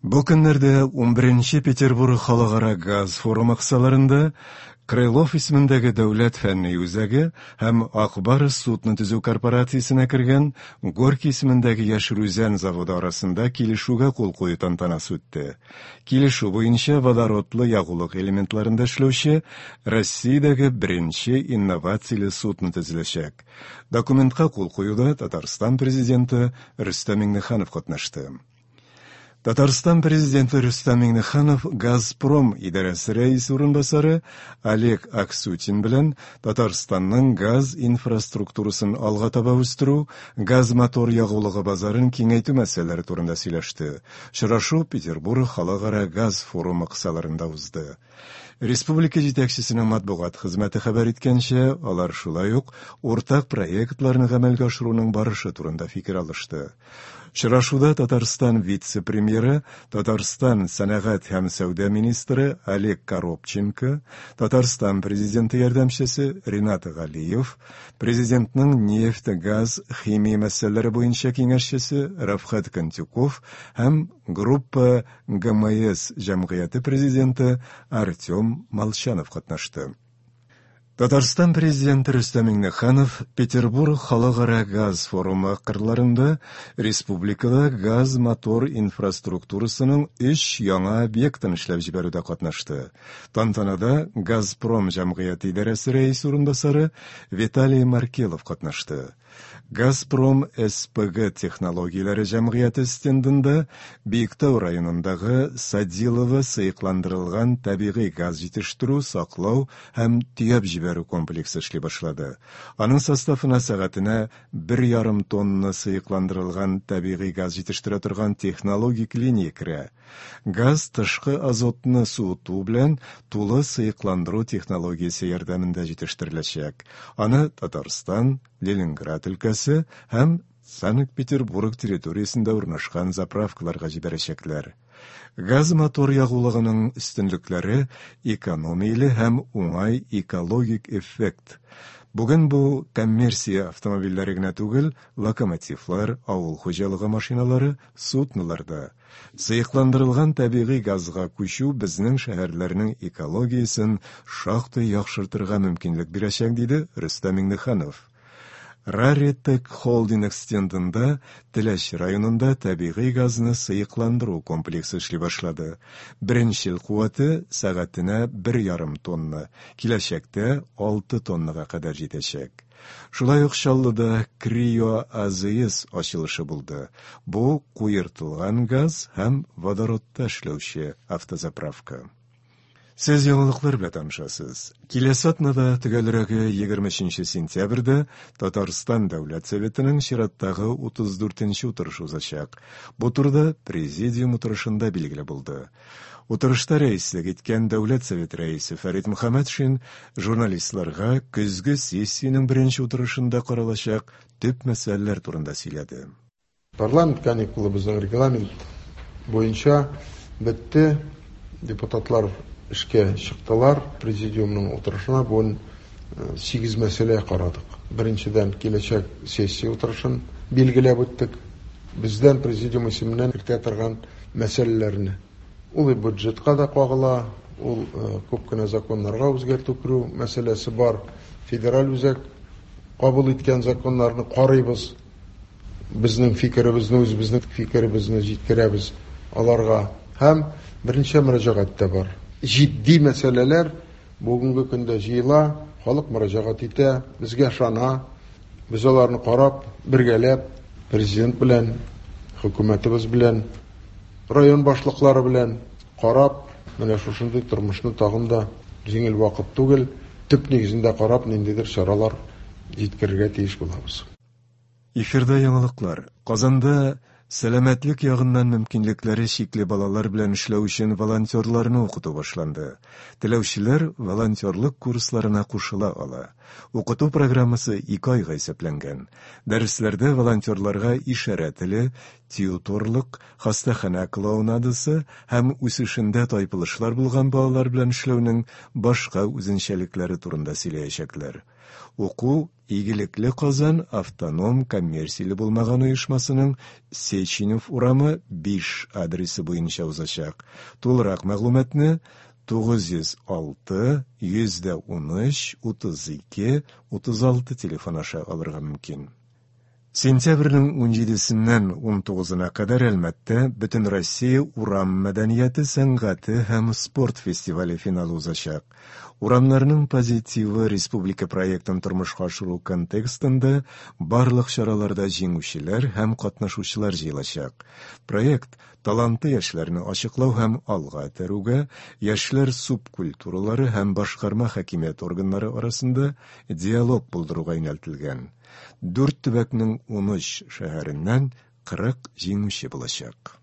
Бу көннәрдә 11 Петербург халыкара газ форумы кысаларында Крылов исемендәге дәүләт фәнни үзәге һәм Ак Барс судно төзү корпорациясенә кергән Горький исемендәге Яшел Үзән заводы арасында килешүгә кул кую тантанасы үтте. Килешү буенча водородлы ягулык элементларында эшләүче Россиядәге беренче инновацияле судно төзеләчәк. Документка кул куюда Татарстан Президенты Рөстәм Миңнеханов катнашты. Татарстан Президенты Рөстәм Миңнеханов Газпром идарәсе рәисе урынбасары Олег Аксютин белән Татарстанның газ инфраструктурасын алга таба үстерү, газ-мотор ягулыгы базарын киңәйтү мәсьәләләре турында сөйләште. Очрашу Петербург халыкара газ форумы кысаларында узды. Республика җитәкчесенең матбугат хезмәте хәбәр иткәнчә, алар шулай ук уртак проектларны гамәлгә ашыруның барышы турында фикер алышты. Очрашуда Татарстан вице-премьеры, Татарстан сәнәгать һәм сәүдә министры Олег Коробченко, Татарстан Президенты ярдәмчесе Ринат Галиев, Президентның нефть, газ, химия мәсьәләләре буенча киңәшчесе Рафхат Кантюков һәм Группа ГМС җәмгыяте президенты Артем Молчанов катнашты. Татарстан Президенты Рөстәм Миңнеханов Петербург халыкара газ форумы кырларында республикада газ-мотор инфраструктурасының өч яңа объектын эшләп җибәрүдә катнашты. Тантанада Газпром җәмгыяте идарәсе рәисе урынбасары Виталий Маркелов катнашты. Газпром СПГ технологияләре җәмгыяте стендында Биектау районындагы Садилово сыекландырылган табигый газ җитештерү, саклау һәм төяп җибәрү комплексы эшли башлады. Аның составына сәгатенә 1,5 тонна сыекландырылган табигый газ җитештерә торган технологик линия керә. Газ тышкы азотны суыту белән тулы сыекландыру технологиясе ярдәмендә җитештереләчәк. Аны Татарстан, Ленинград өлкәсе һәм Санкт-Петербург территориясендә урнашкан заправкаларга җибәрәчәкләр. Газ-мотор ягулыгының өстенлекләре экономияле һәм уңай экологик эффект. Бүген бу коммерция автомобильләре генә түгел, локомотивлар, авыл хуҗалыгы машиналары, суднолар да. Сыекландырылган табигый газга күчү безнең шәһәрләрнең экологиясен шактый яхшыртырга мөмкинлек бирәчәк, диде Рөстәм Миңнеханов. Раритек холдинг стендында Теләч районында табигый газны сыекландыру комплексы эшли башлады. Беренчел куәте сәгатенә 1,5 тонна, киләчәктә 6 тоннага кадәр җитәчәк. Шулай ук Чаллыда Крио АЗС ачылышы булды. Бу куертылган газ һәм водородта эшләүче автозаправка. Сез яңалыклар белән танышасыз. Киләсе атнада, төгәлрәге 23 сентябрьдә, Татарстан Дәүләт Советының чираттагы 34 нче утырышы узачак. Бу турыда президиум утырышында билгеле булды. Утырышта рәислек иткән Дәүләт Советы рәисе Фәрит Мөхәммәтшин журналистларга көзге сессиянең беренче утырышында каралачак төп мәсьәләләр турында сөйләде. Парламент каникулы безнең регламент буенча бетте. Депутатлар эшкә чыктылар. Президиумның утырышына бүген 8 мәсьәлә карадык. Беренчедән, киләчәк сессия утырышын билгеләп үттек. Бездән президиум исеменнән кертә торган мәсьәләләрне. Ул бюджетка да кагыла, ул күп кенә законнарга үзгәртү керү мәсьәләсе бар. Федераль үзәк кабул иткән законнарны карыйбыз. Безнең фикеребезне, үзебезнең фикеребезне җиткерәбез аларга. Һәм берничә мөрәҗәгать тә бар. Җитди мәсьәләләр бүгенге көндә җыела, халык мөрәҗәгать итә, безгә ышана. Без аларны карап, бергәләп, президент белән, хөкүмәтебез белән, район башлыклары белән карап, менә шушындый тормышны тагын да җиңел вакыт түгел, төп нигезендә карап, ниндидер чаралар җиткерергә тиеш булабыз. Эфирда яңалыклар. Казанда сәламәтлек ягыннан мөмкинлекләре чикле балалар белән эшләү өчен волонтерларны укыту башланды. Теләүчеләр волонтерлык курсларына кушыла ала. Укыту программасы 2 айга исәпләнгән. Дәресләрдә волонтерларга ишарә теле, тьюторлык, хастаханә клоунадасы һәм үсешендә тайпылышлар булган балалар белән эшләүнең башка үзенчәлекләре турында сөйләячәкләр. Уку Игелекле Казан автоном коммерцияле булмаган оешмасының Сеченев урамы 5 адресы буенча узачак. Тулырак мәгълүматны 906 113 32 36 телефон аша алырга мөмкин. Сентябрьнең 17-сеннән 19-на кадәр Әлмәттә Бөтенроссия урам мәдәнияте, сәнгате һәм спорт фестивале финалы узачак. Урамнарның позитивы республика проектын тормышка ашыру контекстында барлык чараларда җиңүчеләр һәм катнашучылар җыелачак. Проект талантлы яшьләрне ачыклау һәм алга этәрүгә, яшьләр субкультуралары һәм башкарма хакимият органнары арасында диалог булдыруга юнәлтелгән. Дүрт төбәкнең 13 шәһәреннән 40 җиңүче булачак.